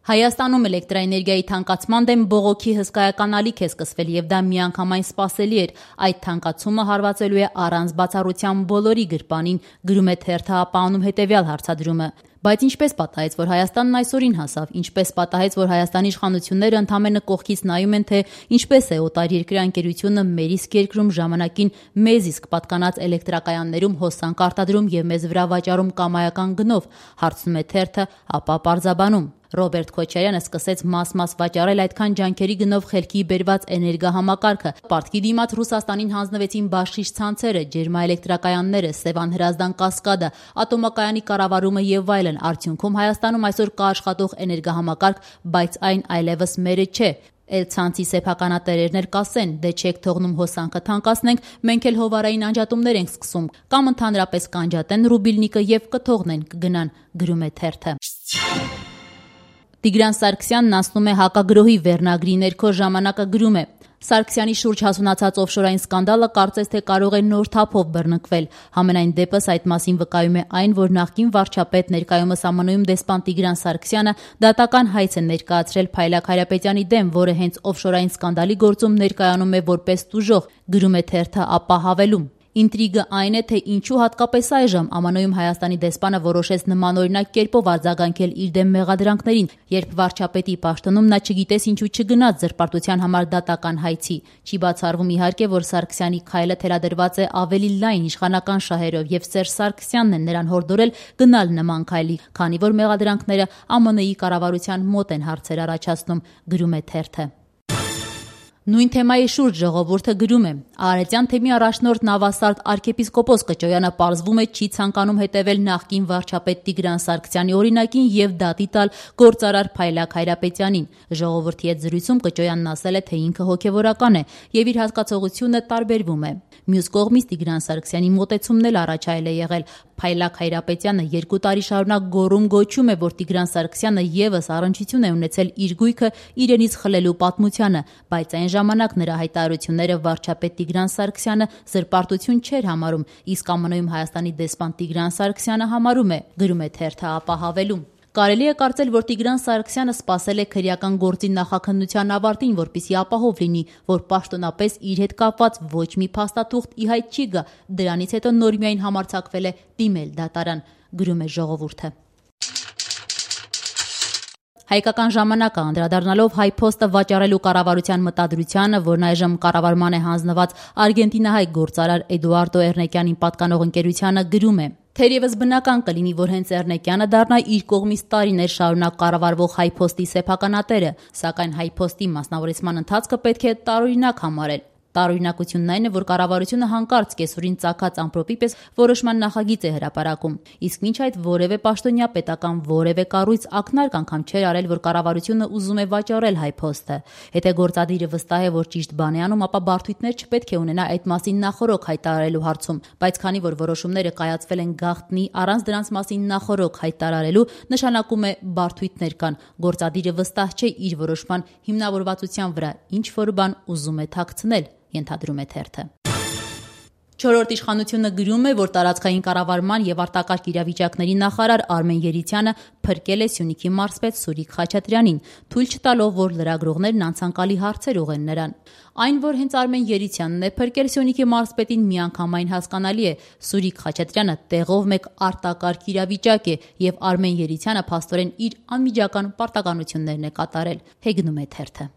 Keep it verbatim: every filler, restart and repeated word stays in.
Հայաստանում էլեկտրաէներգիայի թանկացման դեմ բողոքի հսկայական ալիք է սկսվել եւ դա միանգամայն սպասելի էր։ Այդ թանկացումը հարվածելու է առանց բացառության բոլորի գրպանին, գրում է թերթը ապանում հետեւյալ հարցադրումը։ Բայց ինչպես պատահեց, որ Հայաստանն այսօրին հասավ, ինչպես պատահեց, որ Հայաստանի իշխանությունները ընդամենը կողքից նայում են, թե ինչպես է օտարերկրյա ընկերությունը մեր իսկ երկրում ժամանակին մեզ իսկ պատկանած էլեկտրակայաններում հոսանք արտադրում եւ մեզ վրա վաճառում կամայական գնով, հարցնում է թերթը, ապա պարզաբանում։ Ռոբերտ Քոչարյանը սկսեց մաս-մաս վաճառել այդքան ջանքերի գնով խելքի բերված էներգահամակարգը։ Պարտքի դիմաց Ռուսաստանին հանձնվեցին բաշխիչ ցանցերը, ջերմաէլեկտրակայանները, Սևան Հրազդան կասկադը, ատոմակայանի կառավարումը եւ այլն։ Արդյունքում Հայաստանում այսօր կա աշխատող էներգահամակարգ, բայց այն այլևս մերը չէ։ Էլ ցանցի սեփականատերերն էլ կասեն, դե չեք թողնում հոսանքը թանկացնենք, մենք էլ հովարային անջատումներ ենք սկսում, կամ ընդհանրապես կանջատեն ռուբիլնիկը եւ կթողնեն, կգնան, գրում է թերթը։ Տիգրան Սարգսյանն անցնում է հակագրոհի վերնագրի ներքո, ժամանակը գրում է. Սարգսյանի շուրջ հասունացած օֆշորային սկանդալը կարծես թե կարող է նոր թափով բռնկվել։ Համենայն դեպս այդ մասին վկայում է այն, որ նախկին վարչապետ, ներկայումս ԱՄՆ-ում դեսպան Տիգրան Սարգսյանը դատական հայց է ներկայացրել Փայլակ Հայրապետյանի դեմ, որը հենց օֆշորային սկանդալի գործում ներկայանում է որպես տուժող, գրում է թերթը, ապա հավելում. Ինտրիգը այն է, թե ինչու հատկապես այժմ ԱՄՆ-ում Հայաստանի դեսպանը որոշեց նմանօրինակ կերպով արձագանքել իր դեմ մեղադրանքներին, երբ վարչապետի պաշտոնում նա չգիտես ինչու չգնաց զրպարտության համար դատական հայցի։ Չի բացառվում իհարկե, որ Սարգսյանի քայլը թելադրված է ավելի լայն իշխանական շահերով եւ Սերժ Սարգսյանն է նրան հորդորել գնալ նման քայլի, քանի որ մեղադրանքները ԱՄՆ-ի կառավարության մոտ են հարցեր առաջացնում, գրում է թերթը։ Նույն թեմայի շուրջ ժողովուրդը գրում է. Արարատյան թեմի առաջնորդ նավասարդ arczepiskopos Կճոյանը պարզվում է չի ցանկանում հետևել նախկին վարչապետ Տիգրան Սարգսյանի օրինակին եւ դատի տալ գործարար Փայլակ Հայրապետյանին։ Ժողովրդի հետ զրույցում Կճոյանն ասել է, թե ինքը հոգեվորական է եւ իր հասկացողությունը տարբերվում է։ Մյուս կողմից Տիգրան Սարգսյանի մոտեցումն էլ առաջայել է եղել։ Փայլակ Հայրապետյանը երկու տարի շարունակ գոռում գոչում է, որ Տիգրան Սարգսյանը եւս առնչություն է ունեցել իր գույքը իրենից խլելու պատմությանը, բայց այն ժամանակ նրա հայտարարությունները վարչապետ Տիգրան Սարգսյանը զրպարտություն չէր համարում, իսկ ԱՄՆ-ում Հայաստանի դեսպան Տիգրան Սարգսյանը համարում է, գրում է թերթը ապա հավելում. Կարելի է կարծել, որ Տիգրան Սարգսյանը սպասել է քրեական գործի նախաքննության ավարտին, որպեսզի ապահով լինի, որ պաշտոնապես իր հետ կապված ոչ մի փաստաթուղթ ի հայտ չի գա, դրանից հետո նոր միայն համարձակվել է դիմել դատարան, գրում է ժողովուրդը։ Հայկական ժամանակը անդրադառնալով Հայփոստը վաճառելու կառավարության մտադրությանը, որն այժմ կառավարման է հանձնված արգենտինահայ գործարար Էդուարդո Էռնեկյանին պատկանող ընկերությանը, գրում է. Թերևս բնական կլինի, որ հենց Էռնեկյանը դառնա իր կողմից տարիներ շարունակ կառավարվող Հայփոստի սեփականատերը, սակայն Հայփոստի մասնավորեցման ընթացքը պետք է տարօրինակ համարել։ Տարօրինակությունն այն է, որ կառավարությունը հանկարծ կեսօրին ծագած ամպրոպի պես որոշման նախագիծ է հրապարակում, իսկ մինչ այդ որևէ պաշտոնյա, պետական որևէ կառույց ակնարկ անգամ չէր արել, որ կառավարությունը ուզում է վաճառել Հայփոստը։ Եթե գործադիրը վստահ է, որ ճիշտ բան է անում, ապա բարդույթներ չպետք է ունենա այդ մասին նախօրոք հայտարարելու հարցում, բայց քանի որ որոշումները կայացվել են գաղտնի, առանց դրանց մասին նախօրոք հայտարարելու, նշանակում է բարդույթներ կան, գործադիրը վստահ չէ իր որոշման հիմնավորվածության վրա, ինչ որ բան ուզում է թաքցնել, ենթադրում է թերթը։ Չորրորդ իշխանությունը գրում է, որ տարածքային կառավարման եւ արտակարգ իրավիճակների նախարար Արմեն Երիցյանը փրկել է Սյունիքի մարզպետ Սուրիկ Խաչատրյանին, թույլ չտալով, որ լրագրողներն անցանկալի հարցեր ուղղեն նրան։ Այն, որ հենց Արմեն Երիցյանն է փրկել Սյունիքի մարզպետին, միանգամայն հասկանալի է։ Սուրիկ Խաչատրյանը տեղով մեկ արտակարգ իրավիճակ է եւ Արմեն Երիցյանը փաստորեն իր անմիջական պարտականություններն է կատարել, հեգնում է թերթը։